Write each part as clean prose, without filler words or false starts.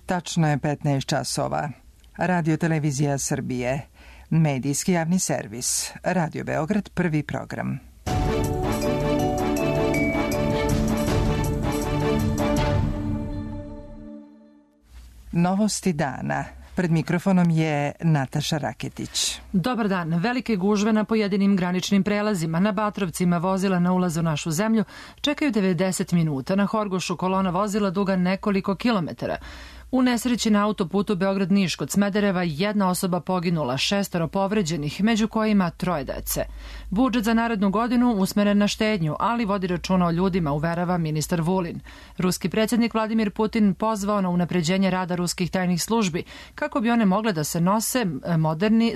Tačno je 15 časova. Radio Televizija Srbije. Medijski javni servis. Radio Beograd, prvi program. Novosti dana. Pred mikrofonom je Nataša Raketić. Dobar dan. Velike gužve na pojedinim graničnim prelazima. Na Batrovcima vozila na ulazu u našu zemlju čekaju 90 minuta. Na Horgošu kolona vozila duga nekoliko kilometara. U nesreći na autoputu Beograd-Niš kod Smedereva jedna osoba poginula, 6 povređenih, među kojima 3 dece. Budžet za narednu godinu usmeren na štednju, ali vodi računa o ljudima, uverava ministar Vulin. Ruski predsjednik Vladimir Putin pozvao na unapređenje rada ruskih tajnih službi, kako bi one mogle da se nose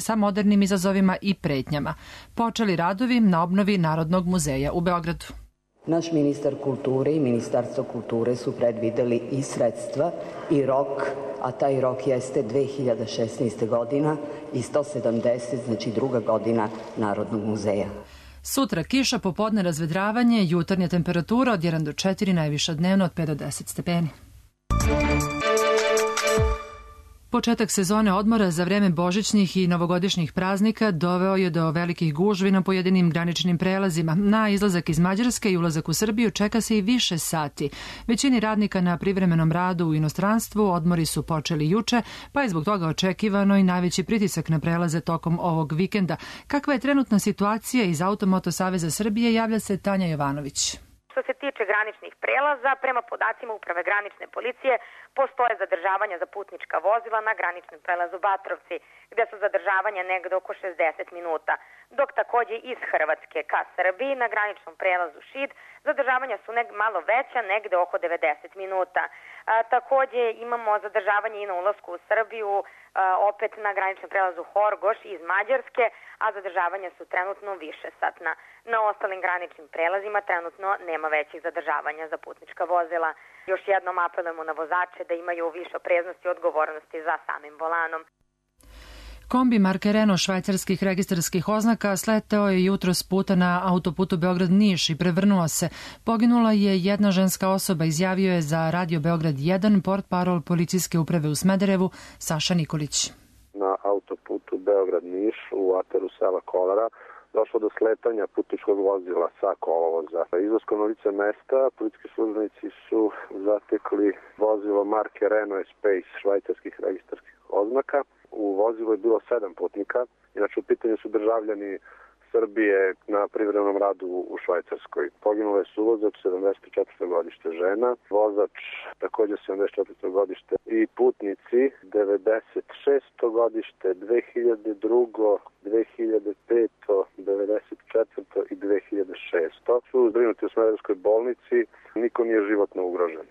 sa modernim izazovima i pretnjama. Počeli radovi na obnovi Narodnog muzeja u Beogradu. Naš ministar kulture i Ministarstvo kulture su predvideli i sredstva i rok, a taj rok jeste 2016. godina i 170, znači druga godina Narodnog muzeja. Sutra kiša, popodne razvedravanje, jutarnja temperatura od 1 do 4, najviša dnevno od 5 do 10 stepeni. Početak sezone odmora za vreme božićnih i novogodišnjih praznika doveo je do velikih gužvi na pojedinim graničnim prelazima. Na izlazak iz Mađarske i ulazak u Srbiju čeka se i više sati. Većini radnika na privremenom radu u inostranstvu odmori su počeli juče, pa je zbog toga očekivano i najveći pritisak na prelaze tokom ovog vikenda. Kakva je trenutna situacija iz Automoto Saveza Srbije, javlja se Tanja Jovanović. Što se tiče graničnih prelaza, prema podacima Uprave granične policije, postoje zadržavanja za putnička vozila na graničnom prelazu Batrovci, gde su zadržavanja negde oko 60 minuta, dok takođe iz Hrvatske ka Srbiji na graničnom prelazu Šid zadržavanja su malo veća, negde oko 90 minuta. Takođe imamo zadržavanje i na ulasku u Srbiju, opet na graničnom prelazu Horgoš iz Mađarske, a zadržavanja su trenutno više satna. Na ostalim graničnim prelazima trenutno nema većih zadržavanja za putnička vozila. Još jednom apelujemo na vozače da imaju više opreznosti i odgovornosti za samim volanom. Kombi marke Renault švajcarskih registarskih oznaka sleteo je jutros puta na autoputu Beograd-Niš i prevrnuo se. Poginula je jedna ženska osoba, izjavio je za Radio Beograd 1 portparol policijske uprave u Smederevu Saša Nikolić. Na autoputu Beograd-Niš u ataru sela Kolara došlo do sletanja putničkog vozila sa kolovoza. Izlaskom na lice mesta policijski službenici su zatekli vozilo marke Renault Espace švajcarskih registarskih oznaka. U vozilu je bilo 7 putnika, inače u pitanju su državljani Srbije na privremenom radu u Švajcarskoj. Poginula je suvozač, 74. godište žena, vozač također 74. godište i putnici 96. godište, 2002. 2005. 94. i 2006. Su zbrinuti u Smederevskoj bolnici, niko nije životno ugrožen.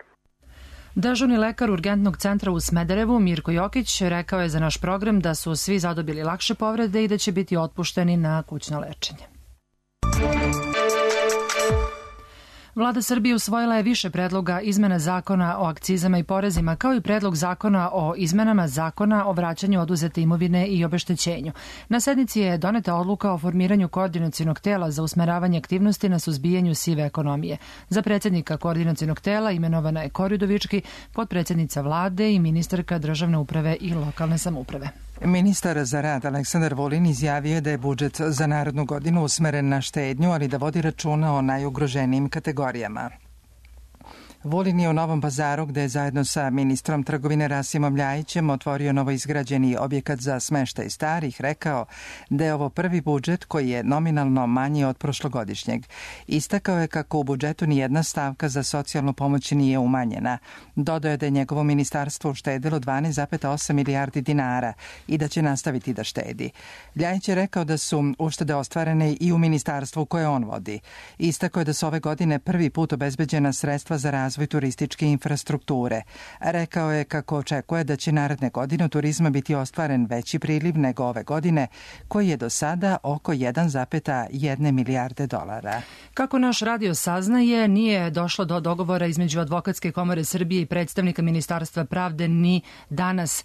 Dežurni lekar urgentnog centra u Smederevu Mirko Jokić rekao je za naš program da su svi zadobili lakše povrede i da će biti otpušteni na kućno lečenje. Vlada Srbije usvojila je više predloga izmena zakona o akcizama i porezima, kao i predlog zakona o izmenama zakona o vraćanju oduzete imovine i obeštećenju. Na sednici je doneta odluka o formiranju koordinacionog tela za usmeravanje aktivnosti na suzbijanju sive ekonomije. Za predsjednika koordinacionog tela imenovana je Kori Udovički, potpredsjednica vlade i ministarka državne uprave i lokalne samouprave. Ministar za rad Aleksandar Vulin izjavio je da je budžet za narednu godinu usmeren na štednju, ali da vodi računa o najugroženijim kategorijama. Vulin je u Novom Pazaru, gde je zajedno sa ministrom trgovine Rasimom Ljajićem otvorio novoizgrađeni objekat za smeštaj starih, rekao da je ovo prvi budžet koji je nominalno manji od prošlogodišnjeg. Istakao je kako u budžetu nijedna stavka za socijalnu pomoć nije umanjena. Dodao je da je njegovo ministarstvo uštedilo 12,8 milijardi dinara i da će nastaviti da štedi. Ljajić je rekao da su uštede ostvarene i u ministarstvu koje on vodi. Istakao je da su ove godine prvi put obezbeđena sredstva za razvoj turističke infrastrukture. Rekao je kako očekuje da će naredne godine u turizma biti ostvaren veći priliv nego ove godine, koji je do sada oko 1,1 milijarde dolara. Kako naš radio saznaje, nije došlo do dogovora između Advokatske komore Srbije i predstavnika Ministarstva pravde ni danas.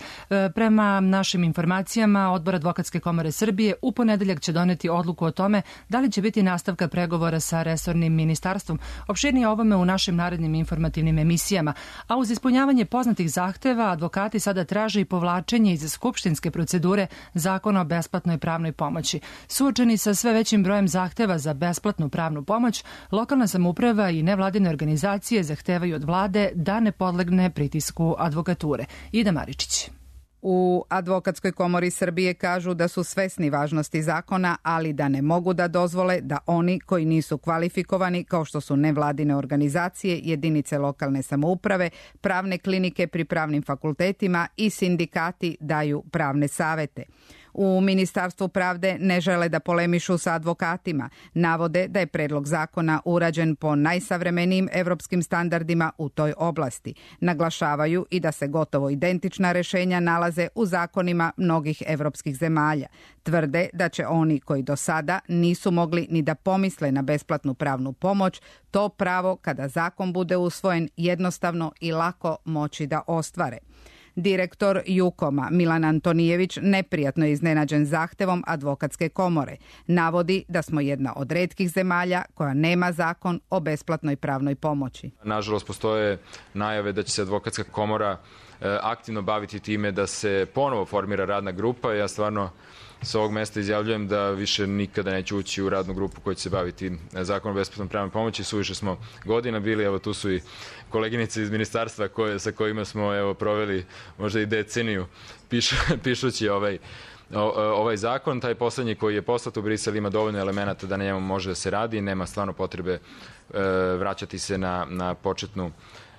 Prema našim informacijama, Odbor Advokatske komore Srbije u ponedeljak će doneti odluku o tome da li će biti nastavka pregovora sa resornim ministarstvom. Opširnije o ovome u našim narednim informacijama informativnim emisijama, a uz ispunjavanje poznatih zahteva advokati sada traže i povlačenje iz skupštinske procedure Zakona o besplatnoj pravnoj pomoći. Suočeni sa sve većim brojem zahteva za besplatnu pravnu pomoć, lokalna samouprava i nevladine organizacije zahtevaju od vlade da ne podlegne pritisku advokature. Ida Maričić. U Advokatskoj komori Srbije kažu da su svesni važnosti zakona, ali da ne mogu da dozvole da oni koji nisu kvalifikovani, kao što su nevladine organizacije, jedinice lokalne samouprave, pravne klinike pri pravnim fakultetima i sindikati daju pravne savete. U Ministarstvu pravde ne žele da polemišu sa advokatima. Navode da je predlog zakona urađen po najsavremenijim evropskim standardima u toj oblasti. Naglašavaju i da se gotovo identična rešenja nalaze u zakonima mnogih evropskih zemalja. Tvrde da će oni koji do sada nisu mogli ni da pomisle na besplatnu pravnu pomoć, to pravo kada zakon bude usvojen jednostavno i lako moći da ostvare. Direktor Jukoma Milan Antonijević neprijatno je iznenađen zahtevom Advokatske komore. Navodi da smo jedna od retkih zemalja koja nema zakon o besplatnoj pravnoj pomoći. Nažalost, postoje najave da će se Advokatska komora aktivno baviti time da se ponovo formira radna grupa. Ja stvarno sa ovog mesta izjavljujem da više nikada neću ući u radnu grupu koja će se baviti zakonom o besplatnoj pravnoj pomoći. Suviše smo godina bili, evo tu su i koleginice iz ministarstva sa kojima smo proveli možda i deceniju pišući ovaj zakon. Taj poslednji koji je poslat u Brisel ima dovoljno elemenata da na njemu može da se radi i nema stvarno potrebe vraćati se na početnu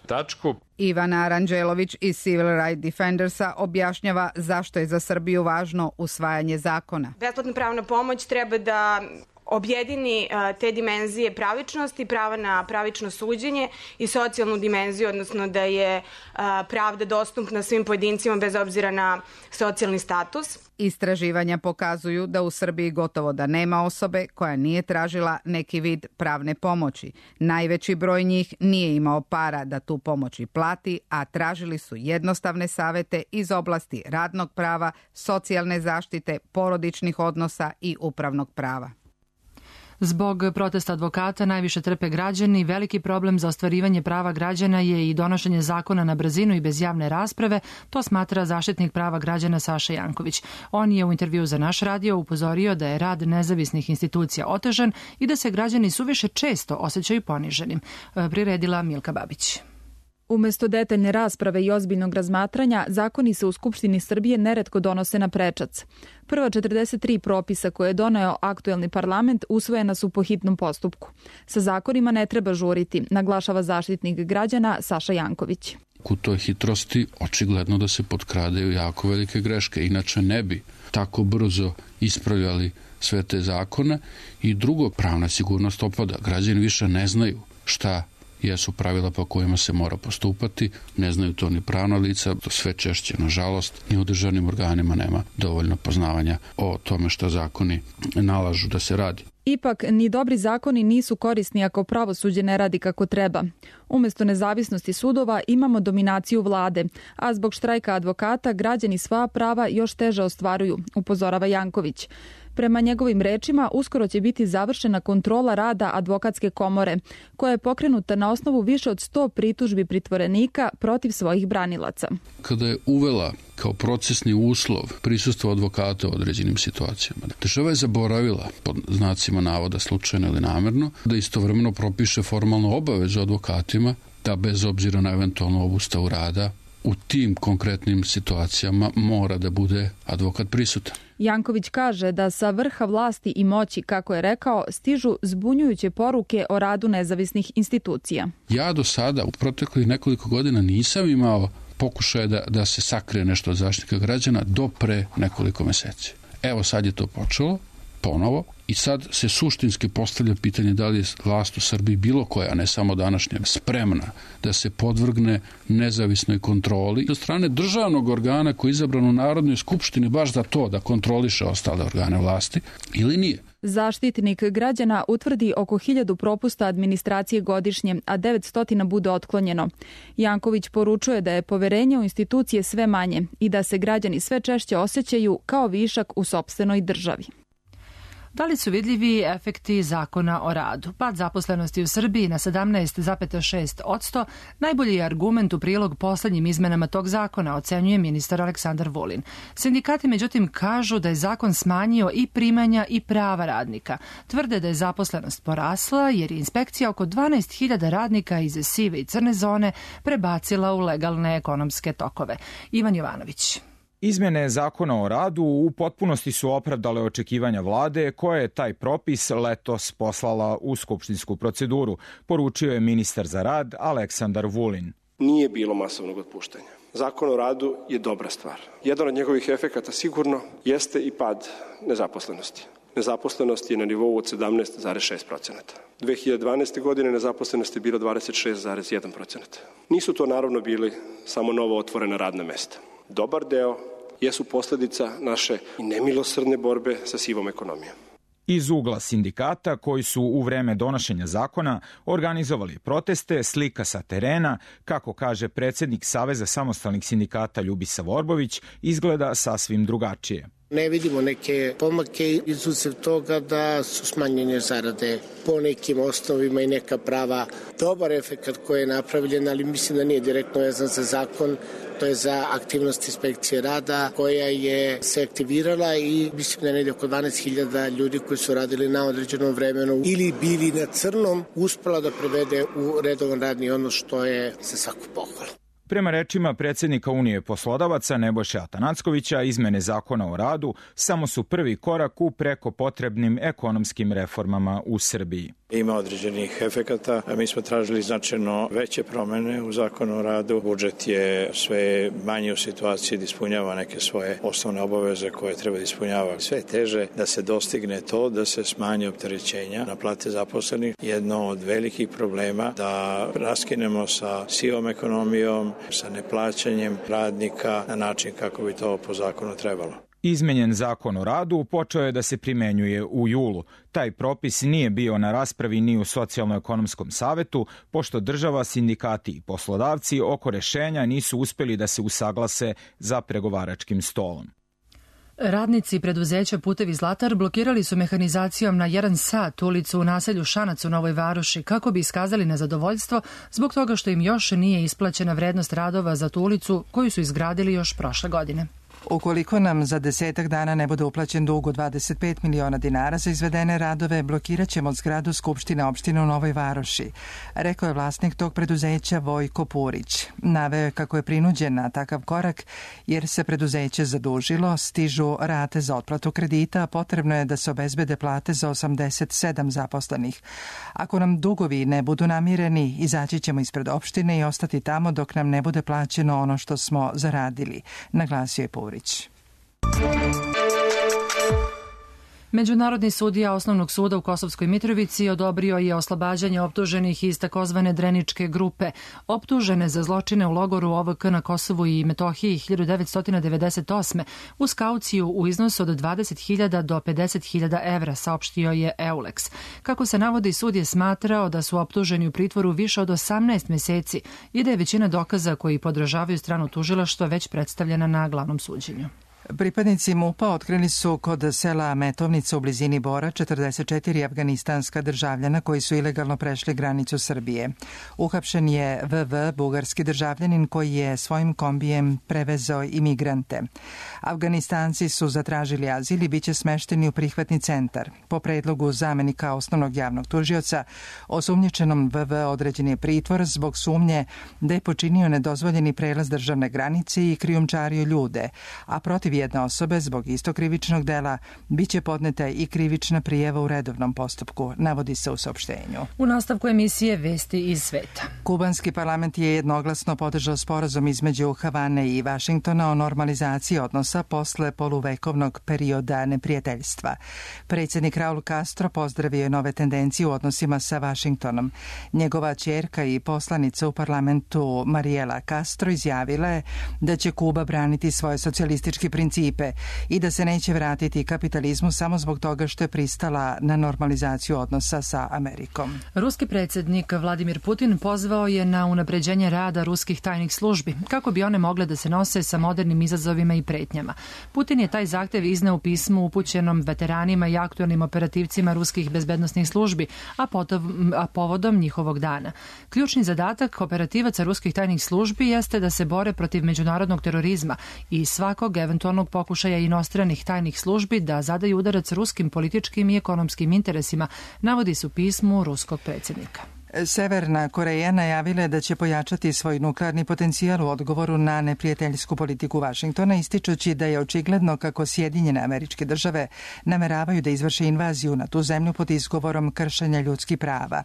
tačku. Ivana Aranđelović iz Civil Rights Defendersa objašnjava zašto je za Srbiju važno usvajanje zakona. Besplatna pravna pomoć treba da objedini te dimenzije pravičnosti, prava na pravično suđenje i socijalnu dimenziju, odnosno da je pravda dostupna svim pojedincima bez obzira na socijalni status. Istraživanja pokazuju da u Srbiji gotovo da nema osobe koja nije tražila neki vid pravne pomoći. Najveći broj njih nije imao para da tu pomoć i plati, a tražili su jednostavne savete iz oblasti radnog prava, socijalne zaštite, porodičnih odnosa i upravnog prava. Zbog protesta advokata najviše trpe građani. Veliki problem za ostvarivanje prava građana je i donošenje zakona na brzinu i bez javne rasprave, to smatra zaštitnik prava građana Saša Janković. On je u intervju za naš radio upozorio da je rad nezavisnih institucija otežan i da se građani suviše često osjećaju poniženim. Priredila Milka Babić. Umesto detaljne rasprave i ozbiljnog razmatranja, zakoni se u Skupštini Srbije neretko donose na prečac. Prva 43 propisa koje je doneo aktuelni parlament usvojena su po hitnom postupku. Sa zakonima ne treba žuriti, naglašava zaštitnik građana Saša Janković. U toj hitrosti očigledno da se potkradaju jako velike greške, inače ne bi tako brzo ispravljali sve te zakone. I drugo, pravna sigurnost opada. Građani više ne znaju šta jesu pravila po kojima se mora postupati, ne znaju to ni pravna lica, sve češće, nažalost, ni u državnim organima nema dovoljno poznavanja o tome što zakoni nalažu da se radi. Ipak, ni dobri zakoni nisu korisni ako pravosuđe ne radi kako treba. Umesto nezavisnosti sudova imamo dominaciju vlade, a zbog štrajka advokata građani sva prava još teže ostvaruju, upozorava Janković. Prema njegovim rečima, uskoro će biti završena kontrola rada Advokatske komore, koja je pokrenuta na osnovu više od 100 pritužbi pritvorenika protiv svojih branilaca. Kada je uvela kao procesni uslov prisustvo advokata u određenim situacijama, država je zaboravila, pod znacima navoda slučajno ili namerno, da istovremeno propiše formalnu obavezu advokatima da bez obzira na eventualnu obustavu rada u tim konkretnim situacijama mora da bude advokat prisutan. Janković kaže da sa vrha vlasti i moći, kako je rekao, stižu zbunjujuće poruke o radu nezavisnih institucija. Ja do sada u proteklih nekoliko godina nisam imao pokušaje da se sakrije nešto od zaštitnika građana do pre nekoliko meseci. Evo sad je to počelo ponovo i sad se suštinski postavlja pitanje da li je vlast u Srbiji bilo koja, ne samo današnja, spremna da se podvrgne nezavisnoj kontroli od strane državnog organa koji je izabran u Narodnoj skupštini baš za to da kontroliše ostale organe vlasti ili nije. Zaštitnik građana utvrdi oko 1000 propusta administracije godišnje, a 900 bude otklonjeno. Janković poručuje da je poverenje u institucije sve manje i da se građani sve češće osjećaju kao višak u sopstvenoj državi. Da li su vidljivi efekti zakona o radu? Pad zaposlenosti u Srbiji na 17,6% najbolji je argument u prilog poslednjim izmenama tog zakona, ocenjuje ministar Aleksandar Vulin. Sindikati međutim kažu da je zakon smanjio i primanja i prava radnika. Tvrde da je zaposlenost porasla jer je inspekcija oko 12.000 radnika iz sive i crne zone prebacila u legalne ekonomske tokove. Ivan Jovanović. Izmene zakona o radu u potpunosti su opravdale očekivanja vlade koja je taj propis letos poslala u skupštinsku proceduru, poručio je ministar za rad Aleksandar Vulin. Nije bilo masovnog otpuštanja. Zakon o radu je dobra stvar. Jedan od njegovih efekata sigurno jeste i pad nezaposlenosti. Nezaposlenost je na nivou od 17,6%. 2012. godine nezaposlenost je bila 26,1%. Nisu to naravno bili samo novo otvorena radna mesta. Dobar deo jesu posledica naše nemilosrdne borbe sa sivom ekonomijom. Iz ugla sindikata koji su u vreme donošenja zakona organizovali proteste, slika sa terena, kako kaže predsjednik Saveza samostalnih sindikata Ljubisa Vorbović, izgleda sasvim drugačije. Ne vidimo neke pomake izuzev toga da su smanjenje zarade po nekim osnovima i neka prava. Dobar efekat koji je napravljen, ali mislim da nije direktno vezan za zakon, to je za aktivnost inspekcije rada koja je se aktivirala i mislim da je negdje oko 12.000 ljudi koji su radili na određenom vremenu ili bili na crnom uspela da prevede u redovan radni odnos, što je za svaku pohvalu. Prema rečima predsjednika Unije poslodavaca Nebojše Atanackovića, izmene zakona o radu samo su prvi korak u preko potrebnim ekonomskim reformama u Srbiji. Ima određenih efekata. Mi smo tražili značajno veće promene u zakonu o radu. Budžet je sve manje u situaciji da ispunjava neke svoje osnovne obaveze koje treba da ispunjava. Sve teže da se dostigne to, da se smanje opterećenja na plate zaposlenih. Jedno od velikih problema da raskinemo sa sivom ekonomijom, sa neplaćanjem radnika na način kako bi to po zakonu trebalo. Izmenjen zakon o radu počeo je da se primenjuje u julu. Taj propis nije bio na raspravi ni u Socijalno-ekonomskom savetu, pošto država, sindikati i poslodavci oko rešenja nisu uspeli da se usaglase za pregovaračkim stolom. Radnici preduzeća Putevi Zlatar blokirali su mehanizacijom na 1 sat ulicu u naselju Šanac u Novoj Varoši kako bi iskazali nezadovoljstvo zbog toga što im još nije isplaćena vrednost radova za tu ulicu koju su izgradili još prošle godine. Ukoliko nam za 10 dana ne bude uplaćen dug od 25 miliona dinara za izvedene radove, blokirat ćemo zgradu Skupštine opštine u Novoj Varoši, rekao je vlasnik tog preduzeća Vojko Purić. Naveo je kako je prinuđen na takav korak jer se preduzeće zadužilo, stižu rate za otplatu kredita, a potrebno je da se obezbede plate za 87 zaposlenih. Ako nam dugovi ne budu namireni, izaći ćemo ispred opštine i ostati tamo dok nam ne bude plaćeno ono što smo zaradili, naglasio je Purić. Međunarodni sudija Osnovnog suda u Kosovskoj Mitrovici odobrio je oslobađanje optuženih iz takozvane Dreničke grupe, optužene za zločine u logoru OVK na Kosovu i Metohiji 1998. uz kauciju u iznosu od 20.000 do 50.000 evra, saopštio je EULEX. Kako se navodi, sud je smatrao da su optuženi u pritvoru više od 18 meseci i da je većina dokaza koji podržavaju stranu tužilaštva već predstavljena na glavnom suđenju. Pripadnici MUP-a otkrili su kod sela Metovnica u blizini Bora 44 afganistanska državljana koji su ilegalno prešli granicu Srbije. Uhapšen je VV, bugarski državljanin koji je svojim kombijem prevezao imigrante. Afganistanci su zatražili azil i biće smešteni u prihvatni centar. Po predlogu zamenika osnovnog javnog tužioca, osumnjičenom VV određen je pritvor zbog sumnje da je počinio nedozvoljeni prelaz državne granice i krijumčario ljude, a protiv jedne osobe zbog istog krivičnog dela biće podneta i krivična prijava u redovnom postupku, navodi se u saopštenju. U nastavku emisije Vesti iz sveta. Kubanski parlament je jednoglasno podržao sporazum između Havane i Vašingtona o normalizaciji odnosa posle poluvekovnog perioda neprijateljstva. Predsjednik Raul Castro pozdravio je nove tendencije u odnosima sa Vašingtonom. Njegova ćerka i poslanica u parlamentu Mariela Castro izjavila je da će Kuba braniti svoje socijalistički princip principe i da se neće vratiti kapitalizmu samo zbog toga što je pristala na normalizaciju odnosa sa Amerikom. Ruski predsjednik Vladimir Putin pozvao je na unapređenje rada ruskih tajnih službi, kako bi one mogle da se nose sa modernim izazovima i pretnjama. Putin je taj zahtev izneo u pismu upućenom veteranima i aktualnim operativcima ruskih bezbednosnih službi, a povodom njihovog dana. Ključni zadatak operativaca ruskih tajnih službi jeste da se bore protiv međunarodnog terorizma i svakog eventualnog pokušaja inostranih tajnih službi da zadaju udarac ruskim političkim i ekonomskim interesima, navodi se u pismu ruskog predsjednika. Severna Koreja najavila je da će pojačati svoj nuklearni potencijal u odgovoru na neprijateljsku politiku Vašingtona, ističući da je očigledno kako Sjedinjene Američke Države nameravaju da izvrše invaziju na tu zemlju pod izgovorom kršenja ljudskih prava.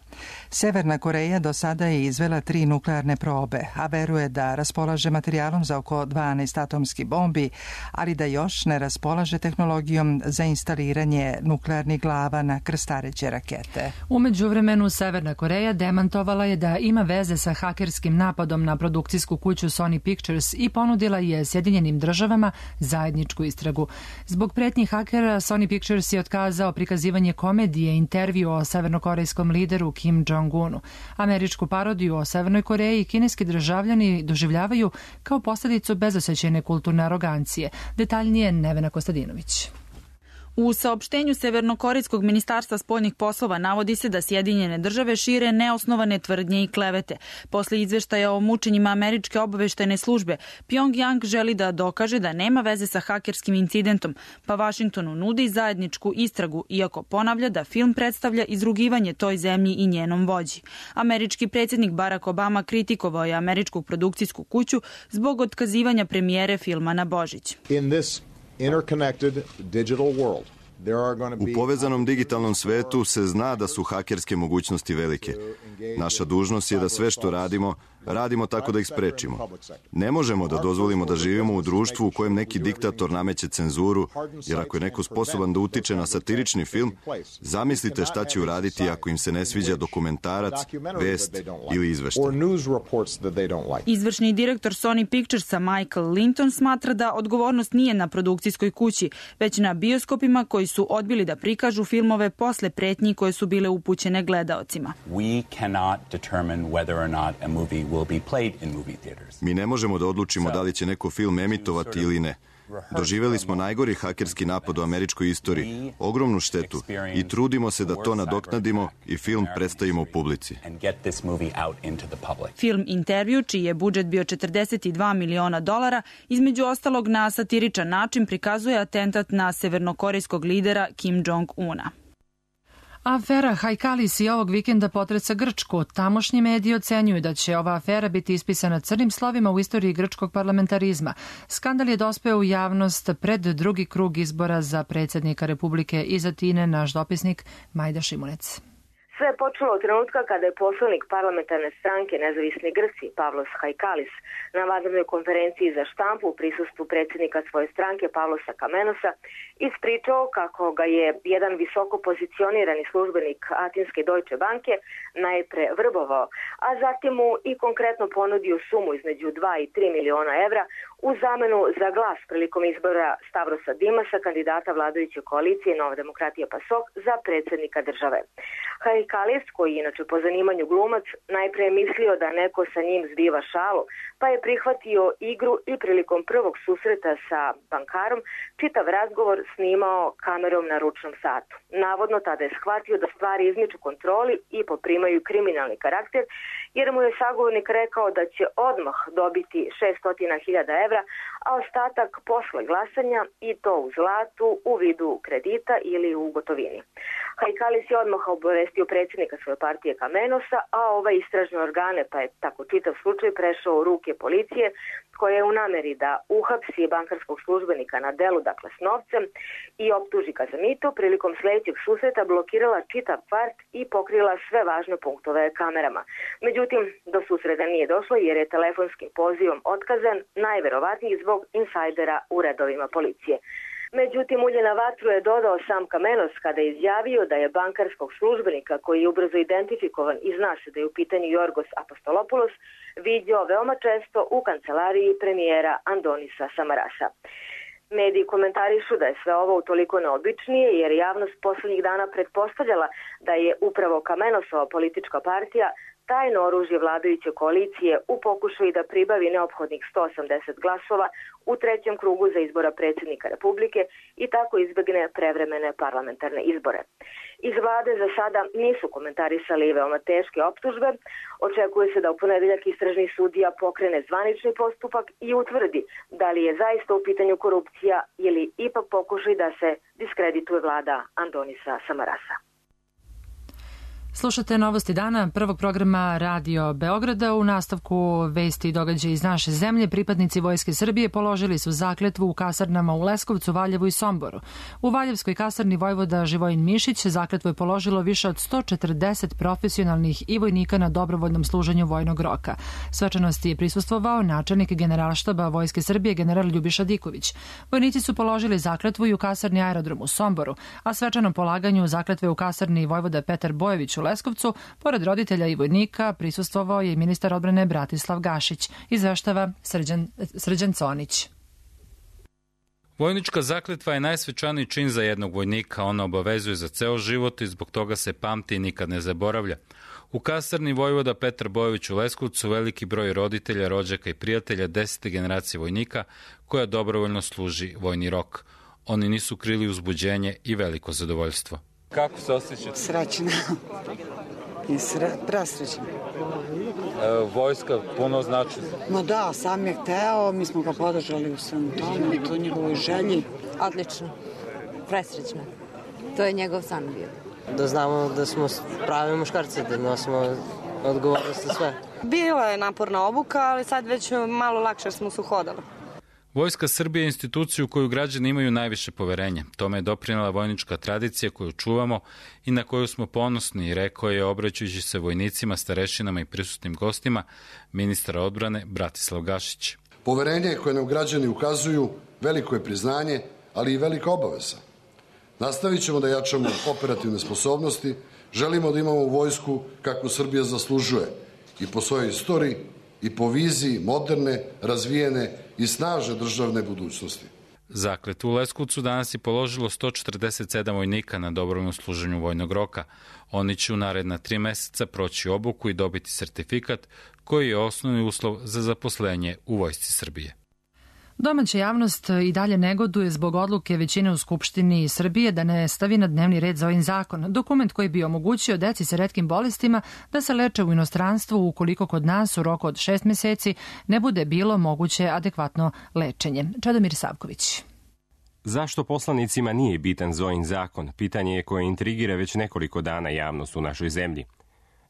Severna Koreja do sada je izvela 3 nuklearne probe, a veruje da raspolaže materijalom za oko 12 atomskih bombi, ali da još ne raspolaže tehnologijom za instaliranje nuklearnih glava na krstareće rakete. U međuvremenu Severna Koreja demantovala je da ima veze sa hakerskim napadom na produkcijsku kuću Sony Pictures i ponudila je Sjedinjenim Državama zajedničku istragu. Zbog pretnji hakera Sony Pictures je otkazao prikazivanje komedije Intervju o severnokorejskom lideru Kim Jong-unu. Američku parodiju o Severnoj Koreji kineski državljani doživljavaju kao posljedicu bezosećajne kulturne arogancije. Detaljnije Nevena Kostadinović. U saopštenju Severnokorejskog ministarstva spoljnih poslova navodi se da Sjedinjene Države šire neosnovane tvrdnje i klevete. Posle izveštaja o mučenjima američke obaveštajne službe, Pyongyang želi da dokaže da nema veze sa hakerskim incidentom, pa Vašingtonu nudi zajedničku istragu, iako ponavlja da film predstavlja izrugivanje toj zemlji i njenom vođi. Američki predsjednik Barack Obama kritikovao je američku produkcijsku kuću zbog otkazivanja premijere filma na Božić. U povezanom digitalnom svetu se zna da su hakerske mogućnosti velike. Naša dužnost je da sve što radimo tako da ih sprečimo. Ne možemo da dozvolimo da živimo u društvu u kojem neki diktator nameće cenzuru, jer ako je neko sposoban da utiče na satirični film, zamislite šta će uraditi ako im se ne sviđa dokumentarac, vest ili izveštaj. Izvršni direktor Sony Picturesa Michael Linton smatra da odgovornost nije na produkcijskoj kući, već na bioskopima koji su odbili da prikažu filmove posle pretnji koje su bile upućene gledaocima. Mi ne možemo da odlučimo da li će neko film emitovati ili ne. Doživeli smo najgori hakerski napad u američkoj istoriji, ogromnu štetu, i trudimo se da to nadoknadimo i film predstavimo u publici. Film Intervju, čiji je budžet bio $42 miliona, između ostalog na satiričan način prikazuje atentat na severnokorejskog lidera Kim Jong-una. Afera Hajkalis i ovog vikenda potreca Grčku. Tamošnji mediji ocenjuju da će ova afera biti ispisana crnim slovima u istoriji grčkog parlamentarizma. Skandal je dospeo u javnost pred drugi krug izbora za predsjednika Republike iz Atine, naš dopisnik Majda Šimunec. Sve je počelo od trenutka kada je poslanik parlamentarne stranke Nezavisni Grci Pavlos Hajkalis na vanrednoj konferenciji za štampu u prisustvu predsjednika svoje stranke Pavlosa Kamenosa ispričao kako ga je jedan visoko pozicionirani službenik atinske Deutsche Banke najpre vrbovao, a zatim mu i konkretno ponudio sumu između 2 i 3 miliona evra u zamenu za glas prilikom izbora Stavrosa Dimasa, kandidata vladajuće koalicije Nova demokratija PASOK za predsjednika države. Hajkalis, koji je inače po zanimanju glumac, najpre je mislio da neko sa njim zbiva šalu, pa je prihvatio igru i prilikom prvog susreta sa bankarom čitav razgovor snimao kamerom na ručnom satu. Navodno tada je shvatio da stvari izmiču kontroli i poprimaju kriminalni karakter, jer mu je sagovornik rekao da će odmah dobiti 600.000 evra, a ostatak posle glasanja i to u zlatu, u vidu kredita ili u gotovini. Hajkalis je odmah obavestio predsjednika svoje partije Kamenosa, a ove istražne organe, pa je tako čitav slučaj prešao u ruke policije, koja je u nameri da uhapsi bankarskog službenika na delu, dakle s novcem, i optuži ga za mito, prilikom sljedećeg susreta blokirala čitav kvart i pokrila sve važne punktove kamerama. Međutim, do susreta nije došlo jer je telefonskim pozivom otkazan, najverovatniji zbog insajdera u redovima policije. Međutim, ulje na vatru je dodao sam Kamenos kada je izjavio da je bankarskog službenika, koji je ubrzo identifikovan i zna se da je u pitanju Jorgos Apostolopoulos, vidio veoma često u kancelariji premijera Andonisa Samarasa. Mediji komentarišu da je sve ovo utoliko neobičnije jer javnost poslednjih dana pretpostavljala da je upravo Kamenosova politička partija tajno oružje vladajuće koalicije u pokušaju da pribavi neophodnih 180 glasova u trećem krugu za izbora predsjednika Republike i tako izbegne prevremene parlamentarne izbore. Iz vlade za sada nisu komentarisali veoma teške optužbe. Očekuje se da u ponedeljak istražni sudija pokrene zvanični postupak i utvrdi da li je zaista u pitanju korupcija ili ipak pokušaj da se diskredituje vlada Andonisa Samarasa. Slušate Novosti dana, prvog programa Radio Beograda. U nastavku vesti i događaja iz naše zemlje, pripadnici Vojske Srbije položili su zakletvu u kasarnama u Leskovcu, Valjevu i Somboru. U Valjevskoj kasarni vojvoda Živojin Mišić zakletvu je položilo više od 140 profesionalnih i vojnika na dobrovoljnom služenju vojnog roka. Svečanosti je prisustvovao načelnik Generalštaba Vojske Srbije general Ljubiša Diković. Vojnici su položili zakletvu i u kasarni Aerodrom u Somboru, a svečanom polaganju zakletve u kasarni vojvoda Petar Bojević u Leskovcu, pored roditelja i vojnika, prisustvovao je i ministar odbrane Bratislav Gašić, izveštava Srđan Conić. Vojnička zakletva je najsvečaniji čin za jednog vojnika. Ona obavezuje za ceo život i zbog toga se pamti i nikad ne zaboravlja. U kasarni vojvoda Petar Bojević u Leskovcu veliki broj roditelja, rođaka i prijatelja 10. generacije vojnika koja dobrovoljno služi vojni rok. Oni nisu krili uzbuđenje i veliko zadovoljstvo. Kako se osjećate? Srećna. I presrećna. Vojska puno znači? Ma da, sam je hteo, mi smo ga podržali u svemu tomu i to njegovoj želji. Odlično. Presrećna. To je njegov san bio. Da znamo da smo pravi muškarci, da nosimo odgovornost za sve. Bila je naporna obuka, ali sad već malo lakše smo se uhodali. Vojska Srbije je institucija u koju građani imaju najviše poverenja. Tome je doprinela vojnička tradicija koju čuvamo i na koju smo ponosni, rekao je obraćajući se vojnicima, starešinama i prisutnim gostima ministar odbrane Bratislav Gašić. Poverenje koje nam građani ukazuju veliko je priznanje, ali i velika obaveza. Nastavit ćemo da jačamo operativne sposobnosti, želimo da imamo vojsku kakvu Srbija zaslužuje i po svojoj istoriji i po viziji moderne, razvijene i snažne državne budućnosti. Zakletvu u Leskovcu danas je položilo 147 vojnika na dobrovoljnom služenju vojnog roka. Oni će u naredna 3 meseca proći obuku i dobiti sertifikat koji je osnovni uslov za zaposlenje u Vojsci Srbije. Domaća javnost i dalje negoduje zbog odluke većine u Skupštini Srbije da ne stavi na dnevni red za ovim zakon. Dokument koji bi omogućio deci sa retkim bolestima da se leče u inostranstvu ukoliko kod nas u roku od 6 meseci ne bude bilo moguće adekvatno lečenje. Čedomir Savković. Zašto poslanicima nije bitan Zojin zakon? Pitanje je koje intrigira već nekoliko dana javnost u našoj zemlji.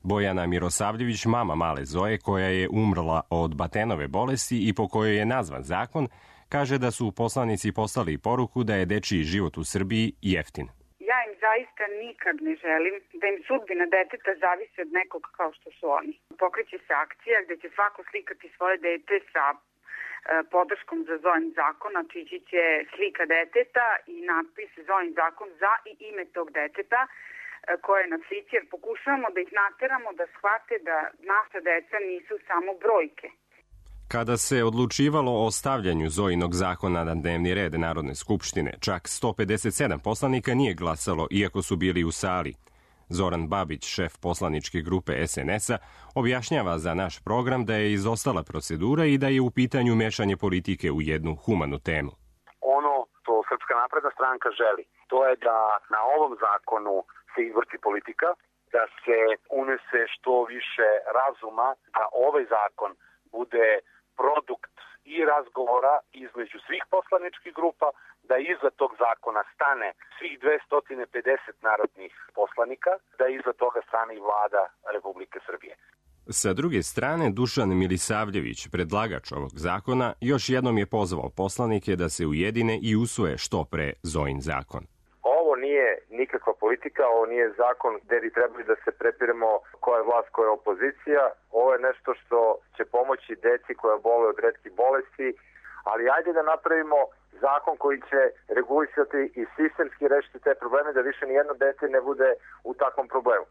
Bojana Mirosavljević, mama male Zoje, koja je umrla od Batenove bolesti i po kojoj je nazvan zakon, kaže da su poslanici poslali poruku da je dečiji život u Srbiji jeftin. Ja im zaista nikad ne želim da im sudbina deteta zavisi od nekog kao što su oni. Pokreće se akcija gde će svako slikati svoje dete sa podrškom za Zojin zakon, a čići će slika deteta i natpis Zojin zakon za i ime tog deteta, koje nas siće, jer pokušavamo da ih nateramo da shvate da naša deca nisu samo brojke. Kada se odlučivalo o stavljanju Zojinog zakona na dnevni red Narodne skupštine, čak 157 poslanika nije glasalo, iako su bili u sali. Zoran Babić, šef poslaničke grupe SNS-a, objašnjava za naš program da je izostala procedura i da je u pitanju mešanje politike u jednu humanu temu. Ono što Srpska napredna stranka želi, to je da na ovom zakonu se izvrti politika, da se unese što više razuma, da ovaj zakon bude produkt i razgovora između svih poslaničkih grupa, da iza tog zakona stane svih 250 narodnih poslanika, da iza toga stane i vlada Republike Srbije. Sa druge strane, Dušan Milisavljević, predlagač ovog zakona, još jednom je pozvao poslanike da se ujedine i usvoje što pre Zojin zakon. Ovo nije nikakva politika, ovo nije zakon gde bi trebali da se prepiremo koja je vlast, koja je opozicija. Ovo je nešto što će pomoći deci koja boluju od retkih bolesti, ali ajde da napravimo zakon koji će regulisati i sistemski rešiti te probleme, da više nijedno dete ne bude u takvom problemu.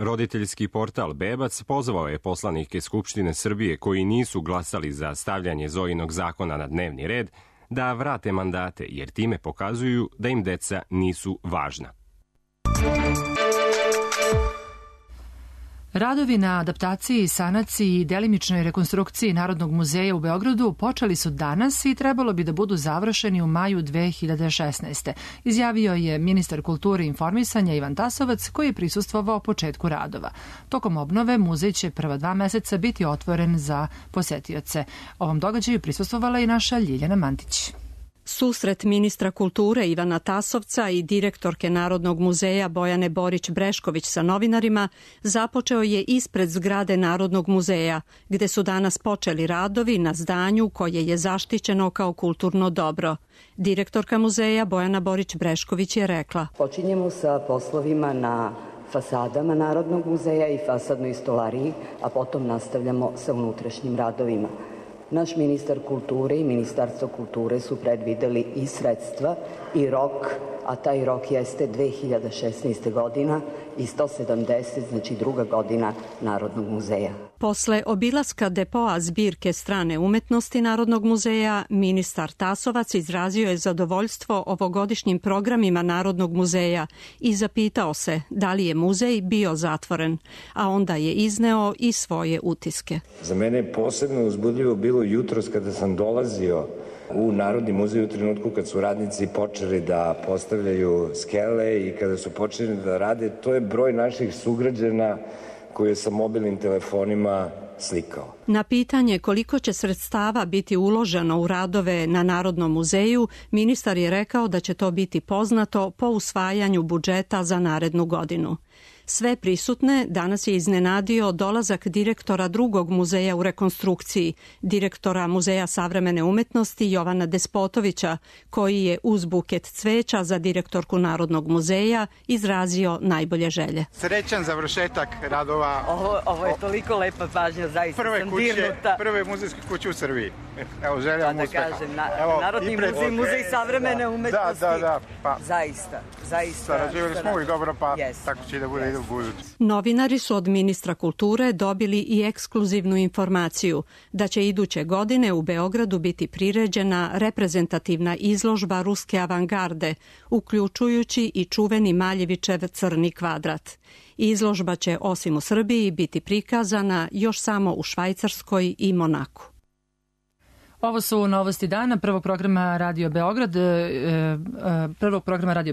Roditeljski portal Bebac pozvao je poslanike Skupštine Srbije koji nisu glasali za stavljanje Zojinog zakona na dnevni red da vrate mandate, jer time pokazuju da im deca nisu važna. Radovi na adaptaciji, sanaciji i delimičnoj rekonstrukciji Narodnog muzeja u Beogradu počeli su danas i trebalo bi da budu završeni u maju 2016. Izjavio je ministar kulture i informisanja Ivan Tasovac, koji je prisustvovao početku radova. Tokom obnove muzej će prva 2 meseca biti otvoren za posetioce. Ovom događaju prisustvovala i naša Ljiljana Mantić. Susret ministra kulture Ivana Tasovca i direktorke Narodnog muzeja Bojane Borić-Brešković sa novinarima započeo je ispred zgrade Narodnog muzeja, gde su danas počeli radovi na zdanju koje je zaštićeno kao kulturno dobro. Direktorka muzeja Bojana Borić-Brešković je rekla: Počinjemo sa poslovima na fasadama Narodnog muzeja i fasadnoj stolariji, a potom nastavljamo sa unutrašnjim radovima. Naš ministar kulture i Ministarstvo kulture su predvideli i sredstva i rok, a taj rok jeste 2016. godina i 170, znači 2. godina Narodnog muzeja. Posle obilaska depoa zbirke strane umetnosti Narodnog muzeja, ministar Tasovac izrazio je zadovoljstvo ovogodišnjim programima Narodnog muzeja i zapitao se da li je muzej bio zatvoren, a onda je izneo i svoje utiske. Za mene je posebno uzbudljivo bilo jutros kada sam dolazio u Narodni muzej u trenutku kad su radnici počeli da postavljaju skele i kada su počeli da rade. To je broj naših sugrađana koje je sa mobilnim telefonima slikao. Na pitanje koliko će sredstava biti uloženo u radove na Narodnom muzeju, ministar je rekao da će to biti poznato po usvajanju budžeta za narednu godinu. Sve prisutne danas je iznenadio dolazak direktora drugog muzeja u rekonstrukciji, direktora Muzeja savremene umetnosti Jovana Despotovića, koji je uz buket cveća za direktorku Narodnog muzeja izrazio najbolje želje. Srećan završetak radova. Ovo je toliko lepa pažnja, zaista sam dirnuta. Prve muzejske kuće u Srbiji. Evo, želim uspeha. Da kažem, Narodni muzej, Muzej savremene umetnosti. Da, pa. Zaista. Sarađivali smo uvijek dobro, pa tako će da bude i do buduće. Novinari su od ministra kulture dobili i ekskluzivnu informaciju da će iduće godine u Beogradu biti priređena reprezentativna izložba ruske avangarde, uključujući i čuveni Maljevićev crni kvadrat. Izložba će osim u Srbiji biti prikazana još samo u Švajcarskoj i Monaku. Ovo su novosti dana prvog programa Radio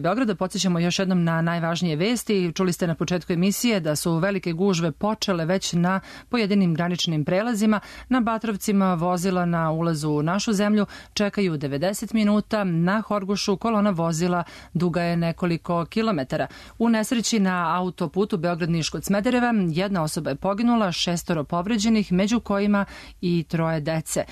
Beograda. Podsjećamo još jednom na najvažnije vesti. Čuli ste na početku emisije da su velike gužve počele već na pojedinim graničnim prelazima. Na Batrovcima vozila na ulazu u našu zemlju čekaju 90 minuta. Na Horgošu kolona vozila duga je nekoliko kilometara. U nesreći na autoputu Beograd-Niš kod Smedereva 1 osoba je poginula, 6 povređenih, među kojima i 3 dece.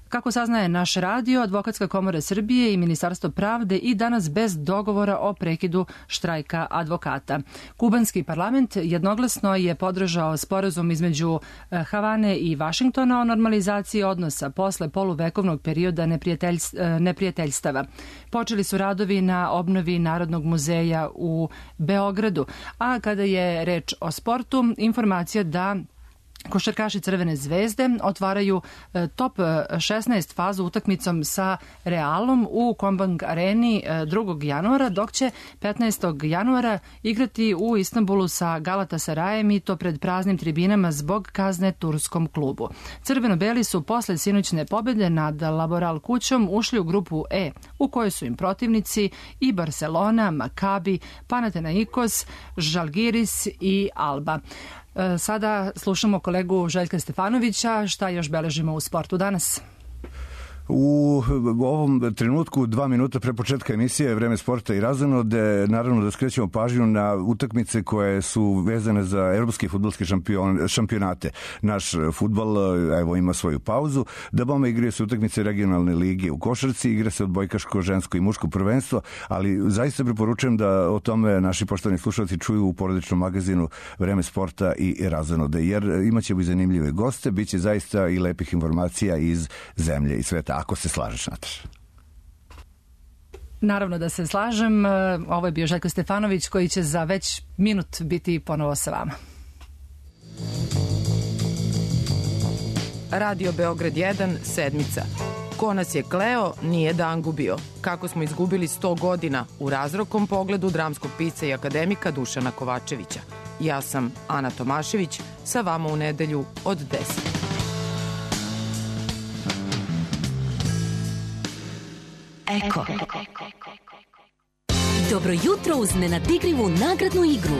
Kako saznaje naš radio, Advokatska komora Srbije i Ministarstvo pravde i danas bez dogovora o prekidu štrajka advokata. Kubanski parlament jednoglasno je podržao sporazum između Havane i Vašingtona o normalizaciji odnosa posle poluvekovnog perioda neprijateljstava. Počeli su radovi na obnovi Narodnog muzeja u Beogradu, a kada je reč o sportu, informacija da košarkaši Crvene zvezde otvaraju top 16 fazu utakmicom sa Realom u Kombank areni 2. januara, dok će 15. januara igrati u Istanbulu sa Galatasarajem i to pred praznim tribinama zbog kazne turskom klubu. Crveno-beli su posle sinoćne pobjede nad Laboral kućom ušli u grupu E, u kojoj su im protivnici i Barcelona, Makabi, Panathinaikos, Žalgiris i Alba. Sada slušamo kolegu Željka Stefanovića. Šta još beležimo u sportu danas? U ovom trenutku 2 minuta pre početka emisije Vreme sporta i razonode, naravno da skrećemo pažnju na utakmice koje su vezane za evropski fudbalski šampionate. Naš fudbal evo ima svoju pauzu. Da bome igraju se utakmice regionalne lige u košarci, igra se odbojkaško, žensko i muško prvenstvo, ali zaista preporučujem da o tome naši poštovani slušalci čuju u porodičnom magazinu Vreme sporta i razonode, jer imaćemo i zanimljive goste, bit će zaista i lepih informacija iz zemlje i sveta. Ako se slažeš, Nataša. Naravno da se slažem. Ovo je bio Željko Stefanović koji će za već minut biti ponovo sa vama. Radio Beograd 1, sedmica. Ko nas je kleo, nije dan gubio. Kako smo izgubili 100 godina u razrokom pogledu dramskog pisca i akademika Dušana Kovačevića. Ja sam Ana Tomašević, sa vama u nedelju od 10. Eko. Dobro jutro uz nenadigrivu nagradnu igru.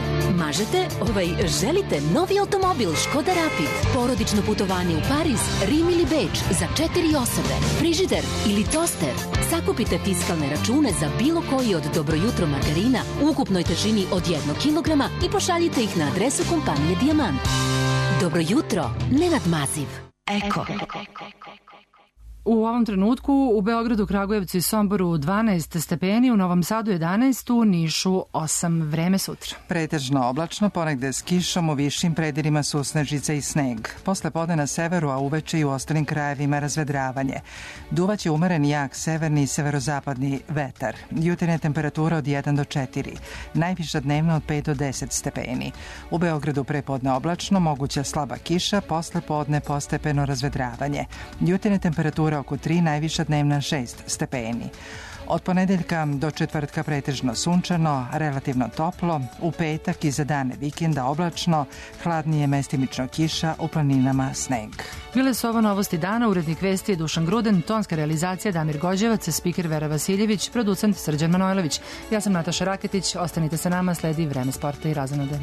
Želite novi automobil Škoda Rapid, porodično putovanje u Pariz, Rim ili Beč za 4 osobe, frižider ili toster. Sakupite fiskalne račune za bilo koji od Dobro jutro margarina u ukupnoj težini od 1 kilograma i pošaljite ih na adresu kompanije Dijamant. Dobro jutro, nenadmaziv. Eko. U ovom trenutku u Beogradu, Kragujevcu i Somboru 12 stepeni, u Novom Sadu 11, u Nišu 8. Vreme sutra. Pretežno oblačno, ponegde s kišom, u višim predelima susnežica i sneg. Posle podne na severu, a uveče i u ostalim krajevima razvedravanje. Duvaće umeren jak severni i severozapadni vetar. Jutarnja temperatura od 1 do 4. Najviša dnevna od 5 do 10 stepeni. U Beogradu prepodne oblačno, moguća slaba kiša, posle podne postepeno razvedravanje. Jutarnja temperatura oko 3, najviša dnevna 6 stepeni. Od ponedeljka do četvrtka pretežno sunčano, relativno toplo, u petak i za dane vikenda oblačno, hladnije mestimično kiša, u planinama sneg. Bile su ovo novosti dana, urednik vesti je Dušan Gruden, tonska realizacija Damir Gođevac, spiker Vera Vasiljević, producent Srđan Manojlović. Ja sam Nataša Raketić, ostanite sa nama, sledi Vreme sporta i razonode.